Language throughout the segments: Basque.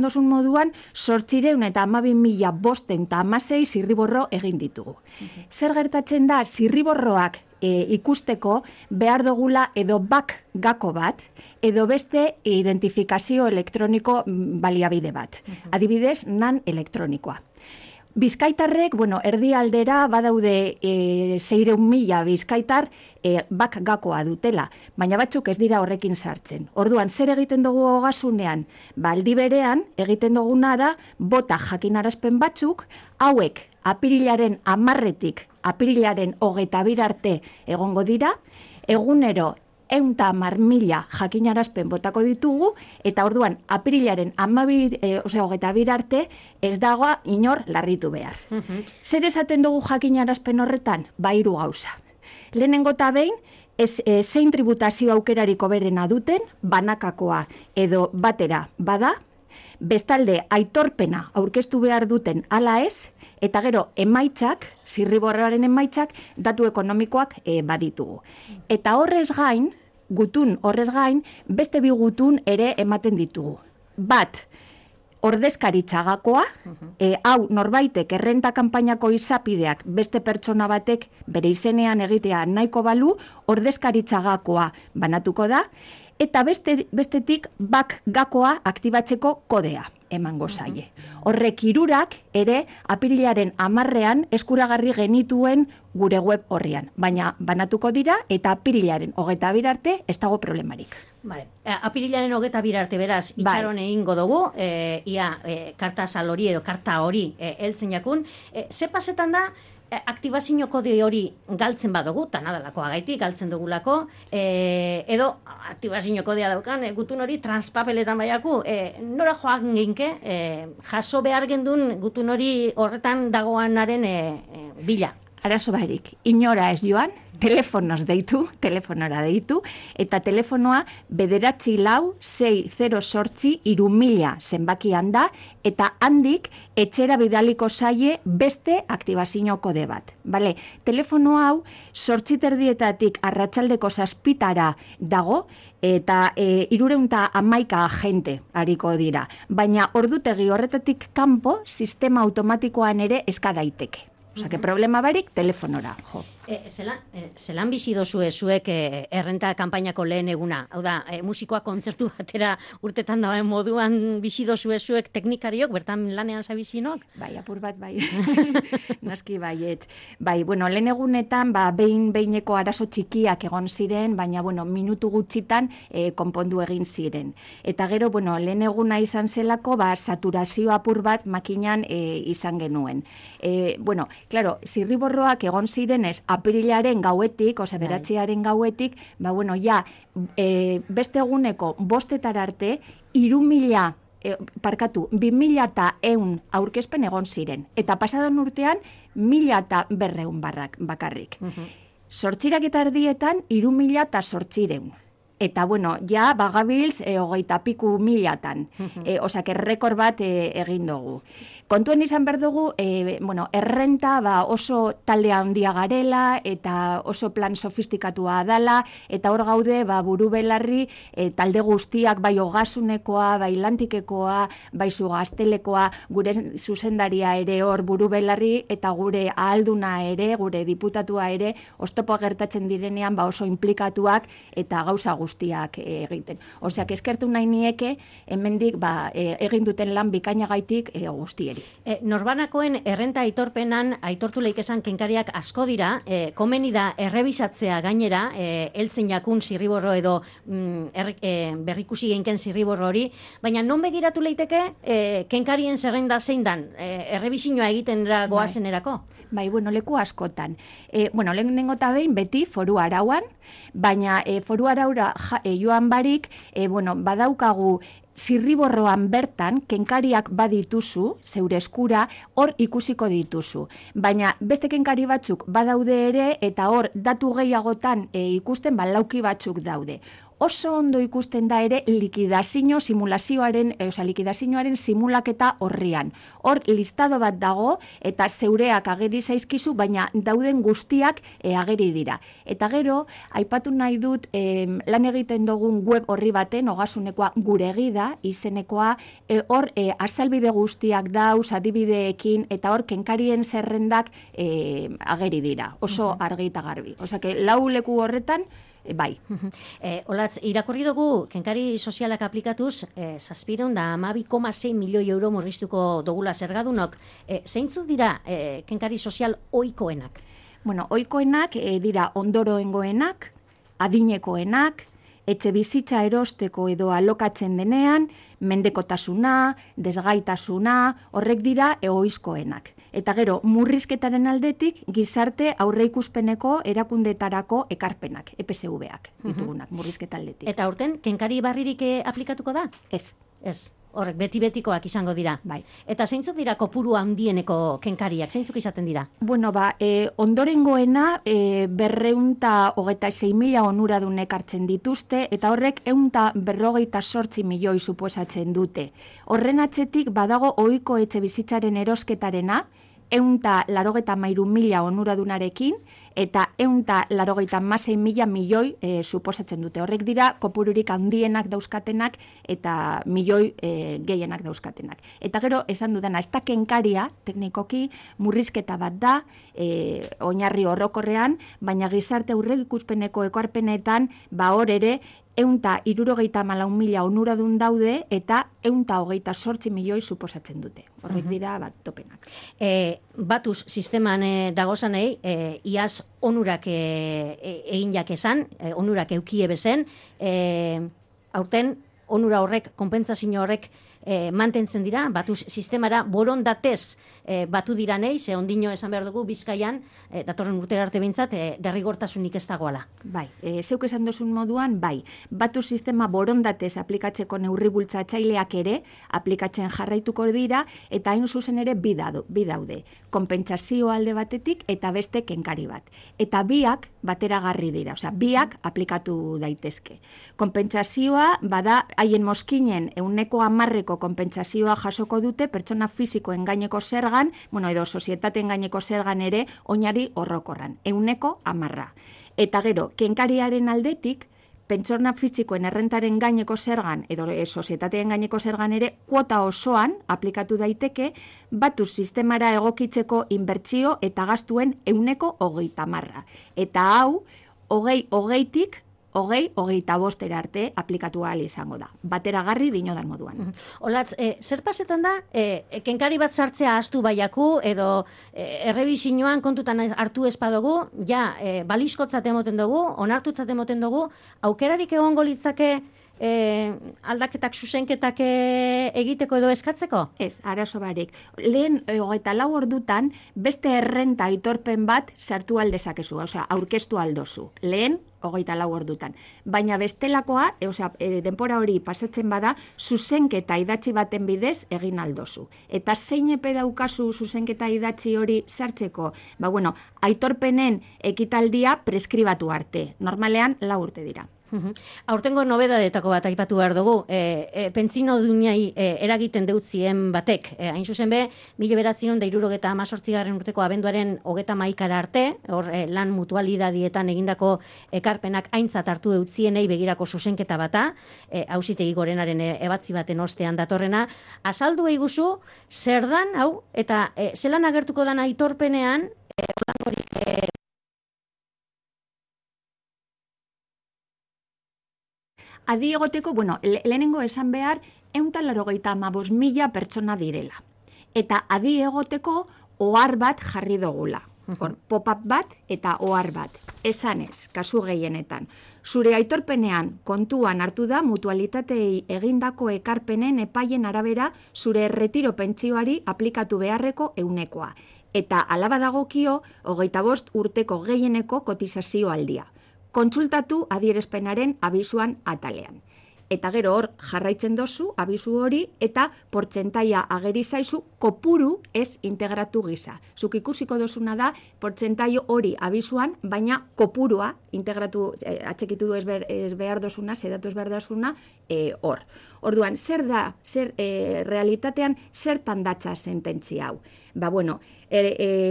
esan dozun moduan, 812.516 zirriborro egin ditugu. Zer gertatzen da, zirriborroak ikusteko behar dugula edo gako bat, edo beste identifikazio elektroniko baliabide bat. Adibidez, NAN elektronikoa. Bizkaitarrek, erdialdera badaude 600.000 bizkaitar gakoa dutela, baina batzuk ez dira horrekin sartzen. Orduan, zer egiten dugu ogasunean? Aldi berean, egiten duguna da, bota jakinarazpen batzuk, hauek apirilaren 10-etik apirilaren 22 arte egongo dira, egunero 110.000 jakinarazpen botako ditugu, eta orduan apirilaren 22 arte ez dago inor larritu behar. Zer esaten dugu jakinarazpen horretan? 3 gauza. Lehenengo eta behin, zein tributazio aukerariko berena duten, banakakoa edo batera bada, bestalde aitorpena aurkeztu behar duten ala ez, eta gero emaitzak, zirriborroaren emaitzak, datu ekonomikoak baditugu. Eta horrez gain, beste 2 gutun ere ematen ditugu. Bat, ordezkaritzagakoa, hau norbaitek errenta kanpainako izapideak beste pertsona batek bere izenean egitea nahiko balu, ordezkaritzagakoa banatuko da, eta bestetik gakoa aktibatzeko kodea emango zaie. Horrek 3 ere apirilaren 10ean eskuragarri genituen gure web horrian, baina banatuko dira eta apirilaren 22 arte ez dago problemarik. Apirilaren 22 arte beraz itxaron egingo dugu, karta sal hori edo karta hori heltzen jakun. Ze pasetan da, aktibazio kode hori galtzen badugu, eta nadalakoa gaitik galtzen dugulako, edo aktibazio kodea daukan, gutun hori transpapeletan baiaku, nora joan geinke, jaso behar gendun gutun hori horretan dagoanaren bila. Arazo barik, inora ez joan, telefonora deitu, eta telefonoa 946083000 zenbakian da, eta handik etxera bidaliko zaie beste aktibazio kode bat. Telefono hau 8:30 arratsaldeko 7 dago, eta 311 agente hariko dira. Baina ordutegi horretatik kanpo, sistema automatikoan ere eska daiteke. Problema barik, telefonora, jo. Zelan bizi dozue zuek errenta kanpainako lehen eguna? Hau da, musikoa kontzertu batera urtetan dagoen moduan bizi dozue zuek teknikariok, bertan lanean zabizinok? Bai, apur bat, bai. Noski baiet. Bai, lehen egunetan, behin-behineko arazo txikiak egon ziren, baina, minutu gutxitan konpondu egin ziren. Eta gero, lehen eguna izan zelako, saturazio apur bat makinan izan genuen. Claro, zirriborroak egon zirenez, apirilaren gauetik, beratziaren gauetik, beste eguneko 5 arte, 2.100 aurkezpen egon ziren. Eta pasadan urtean, 1.200 bakarrik. 8:00 3.800. Eta, bagabilz 20.000. Rekord bat egin dugu. Kontuen izan behar dugu, errenta oso talde handia garela, eta oso plan sofistikatua dala, eta hor gaude, buru belarri, talde guztiak, bai ogasunekoa, bai lantikekoa, bai zugaztelekoa, gure zuzendaria ere hor buru belarri, eta gure ahalduna ere, gure diputatua ere, oztopoa gertatzen direnean, oso implikatuak, eta gauza guztiak egiten. Eskertu nahi nieke, hemendik egin duten lan bikainagaitik guztieri. Norbanakoen errenta aitorpenan aitortu leik esan kenkariak asko dira, komeni da errebisatzea gainera, heltzen jakun zirriborro edo berrikusi geinken zirriborro hori, baina non begiratu leiteke kenkarien zerrenda zein dan, errebizioa egiten goazenerako? Bai, leku askotan. Lehenengo eta behin beti foru arauan, baina foru araura joan barik, badaukagu zirriborroan bertan, kenkariak badituzu, zeure eskura, hor ikusiko dituzu. Baina beste kenkari batzuk badaude ere, eta hor datu gehiagotan ikusten lauki batzuk daude. oso ondo ikusten da ere likidazioaren simulaketa horrian. Hor listado bat dago eta zeureak ageri zaizkizu, baina dauden guztiak ageri dira. Eta gero, aipatu nahi dut lan egiten dugun web horri baten, Ogasunekoa guregi da, izenekoa, hor azalbide guztiak dauz, adibideekin, eta hor kenkarien zerrendak ageri dira, oso argi eta garbi. Osea, lau leku horretan, bai. Olatz, irakurri dugu, kenkari sozialak aplikatuz, 712,6 milioi euro murriztuko dugula zergadunok. Zeintzuk dira kenkari sozial ohikoenak? Bueno, ohikoenak dira ondoroengoenak, adinekoenak, etxe bizitza erosteko edo alokatzen denean, mendekotasuna, desgaitasuna, horrek dira ohizkoenak. Eta gero, murrizketaren aldetik, gizarte aurreikuspeneko erakundetarako ekarpenak, EPSV-ak ditugunak, murrizketa aldetik. Eta aurten, kenkari barririk aplikatuko da? Ez. Ez. Horrek, beti-betikoak izango dira. Bai. Eta zeintzuk dira kopuru handieneko kenkariak? Zeintzuk izaten dira? Bueno, ondorengoena 226.000 onuradunek hartzen dituzte, eta horrek 158 milioi suposatzen dute. Horren atzetik badago ohiko etxe bizitzaren erosketarena, 183.000 onuradunarekin, eta 186.000 milioi suposatzen dute. Horrek dira kopururik handienak dauzkatenak eta milioi gehienak dauzkatenak. Eta gero, esan dudana, ez da kenkaria, teknikoki, murrizketa bat da, oinarri orokorrean, baina gizarte aurreikuspeneko ekarpenetan, hor ere, 174.000 onuradun daude eta 128 milioi suposatzen dute. Horrek dira topenak. Batuz sisteman dagozanei, iaz onurak egin jakezan, onurak eukie bezen, aurten onura horrek, konpentsazio horrek mantentzen dira, batuz sistemara borondatez batu dira nahi, ze ondino esan behar dugu Bizkaian, datorren urtera arte bintzat, derrigortasunik ez dagoala. Bai, zeuk esan dozun moduan, bai, batu sistema borondatez aplikatzeko neurri bultzatzaileak ere, aplikatzen jarraituko dira, eta hain zuzen ere bi daude, konpentsazio alde batetik eta beste kenkari bat. Eta biak bateragarri dira, osea, biak aplikatu daitezke. Konpentsazioa, bada, haien mozkinen 10% konpentsazioa jasoko dute pertsona fisikoen gaineko zergan, edo sozietateen gaineko zergan ere oinari horrokorran, 10%. Eta gero, kenkariaren aldetik, pertsona fisikoen errentaren gaineko zergan edo sozietateen gaineko zergan ere kuota osoan aplikatu daiteke batu sistemara egokitzeko inbertsio eta gastuen 30%. Eta hau, 20-tik 25 arte aplikatu ahal izango da. Bateragarri dinodan moduan. Olatz, zer pasetan da, kenkari bat sartzea astu baiaku, edo errebizioan kontutan hartu espadugu, balizkotzat emoten dugu, onartutzat emoten dugu, aukerarik egongo litzake aldaketak, zuzenketak egiteko edo eskatzeko? Ez, arazo barik. Lehen 24 ordutan beste errenta aitorpen bat sartu aldezakezu, osea, aurkeztu aldozu. Lehen 24 ordutan. Baina bestelakoa, denpora hori pasatzen bada, zuzenketa idatzi baten bidez egin aldozu. Eta zein epe daukazu zuzenketa idatzi hori sartzeko? Aitorpenen ekitaldia preskribatu arte. Normalean 4 urte dira. Aurtengo nobedadetako bat aipatu behar dugu, pentsio duinai eragiten deutzien batek, hain zuzen be, 1978 urteko abenduaren 31 arte, hor lan mutualidadietan egindako ekarpenak aintzat hartu deutzienei begirako zuzenketa bata, auzitegi gorenaren ebatzi baten ostean datorrena, azaldu eiguzu, zer dan, hau, eta zelan agertuko dan aitorpenean, Adi egoteko, lehenengo esan behar, 185.000 pertsona direla. Eta adi egoteko, ohar bat jarri dugula. Pop-up bat eta ohar bat. Esanez, kasu gehienetan. Zure aitorpenean kontuan hartu da mutualitatei egindako ekarpenen epaien arabera zure erretiro pentsioari aplikatu beharreko 100%. Eta alaba dagokio 25 urteko gehieneko kotizazio aldia. Kontsultatu adierazpenaren abisuan atalean. Eta gero hor jarraitzen dozu abisu hori eta portzentaia ageri zaizu kopuru ez integratu gisa. Zuk ikusiko dozuna da portzentaio hori abisuan, baina kopurua integratu, atxekitu ez behar dozuna, zedatu ez behar dozuna, hor. Orduan, zer da, realitatean, zertan datza sententzia hau?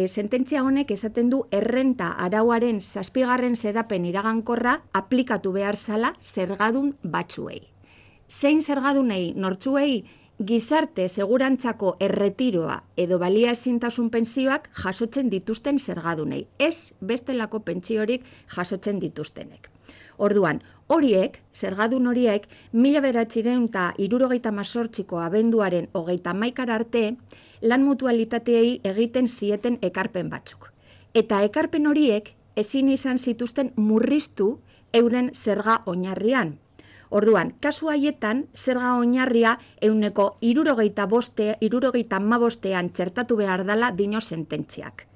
Sententzia honek esaten du errenta arauaren 7. xedapen iragankorra aplikatu behar zala zergadun batzuei. Zein zergadunei nortzuei gizarte segurantzako erretiroa edo baliaezintasun pentsioak jasotzen dituzten zergadunei, ez bestelako pentsiorik jasotzen dituztenek. Orduan, zergadun horiek, 1978ko abenduaren 31 arte, lan mutualitateei egiten zieten ekarpen batzuk. Eta ekarpen horiek ezin izan zituzten murriztu euren zerga oinarrian. Orduan, kasu haietan, zerga oinarria 75%ean txertatu behar dela dino sententziak.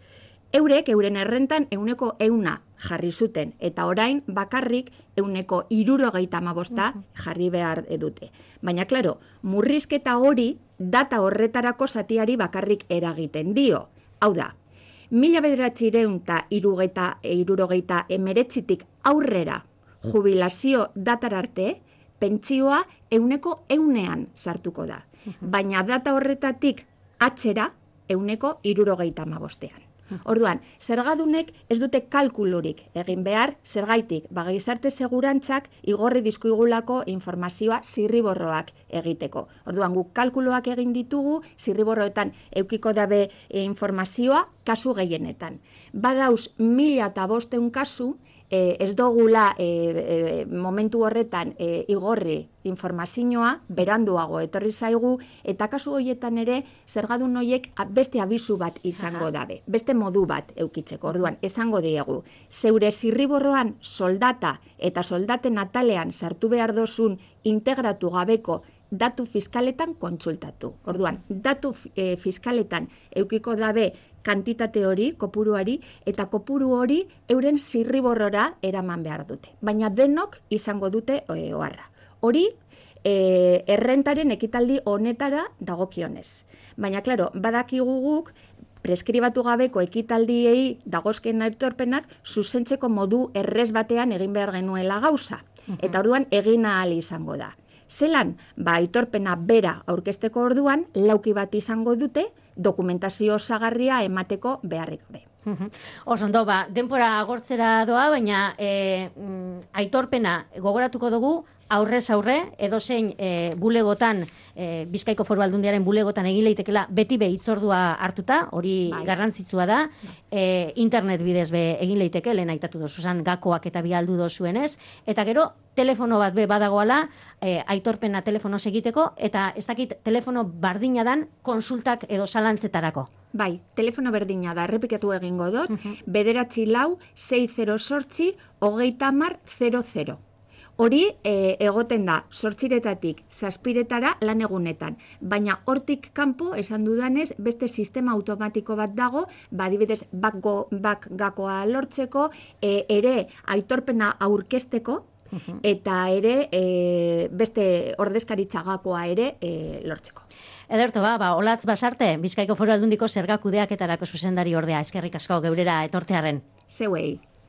Eurek, euren errentan 100% jarri zuten, eta orain bakarrik 175% jarri behar dute. Baina, klaro, murrizketa hori data horretarako zatiari bakarrik eragiten dio. Hau da, 1979tik aurrera jubilazio datararte, pentsioa 100%ean sartuko da. Baina data horretatik atzera 175%ean. Orduan, zergadunek ez dute kalkulurik egin behar, zergaitik, gizarte segurantzak igorri dizkigulako informazioa zirriborroak egiteko. Orduan, guk kalkuloak egin ditugu, zirriborroetan eukiko dabe informazioa kasu gehienetan. Badauz 1500 kasu, ez dogula momentu horretan igorri informazioa, beranduago etorri zaigu, eta kasu horietan ere zergadun horiek beste abisu bat izango dabe, beste modu bat eukitzeko. Orduan, esango diegu, zeure zirriborroan soldata eta soldaten atalean sartu behar dozun integratu gabeko datu fiskaletan kontsultatu. Orduan, datu fiskaletan eukiko dabe kantitate hori, kopuruari, eta kopuru hori euren zirriborrora eraman behar dute. Baina denok izango dute oharra. Hori, errentaren ekitaldi honetara dagokionez. Baina, klaro, badakigu guk, preskribatu gabeko ekitaldiei dagozken aitorpenak zuzentzeko modu errez batean egin behar genuela gauza. Eta orduan egin ahal izango da. Zelan, aitorpena bera aurkezteko orduan, lauki bat izango dute, dokumentazio osagarria emateko beharrik gabe. Osondo, denbora agortzera doa, baina aitorpena gogoratuko dugu, aurrez aurre, edozein bulegotan, Bizkaiko Foru Aldundiaren bulegotan egin leitekela beti hitzordua hartuta, hori garrantzitsua da, internet bidez egin leiteke, lehen aitatu dozuzan gakoak eta bialdu dozuenez, eta gero, telefono bat badagoala, aitorpena telefonoz egiteko, eta ez dakit telefono bardina dan konsultak edo zalantzetarako. Bai, telefono berdina da, errepikatu egingo dut, 946-608-3000. Hori egoten da, 8 zazpiretara lan egunetan. Baina hortik kanpo, esan dudanez, beste sistema automatiko bat dago, adibidez, bak gakoa lortzeko, ere aitorpena aurkezteko, eta ere beste ordezkaritza gakoa ere lortzeko. Ederto, Olatz Basarte, Bizkaiko Foru Aldundiko zerga kudeaketarako zuzendari ordea, eskerrik asko geurera etortearren. Zeuei.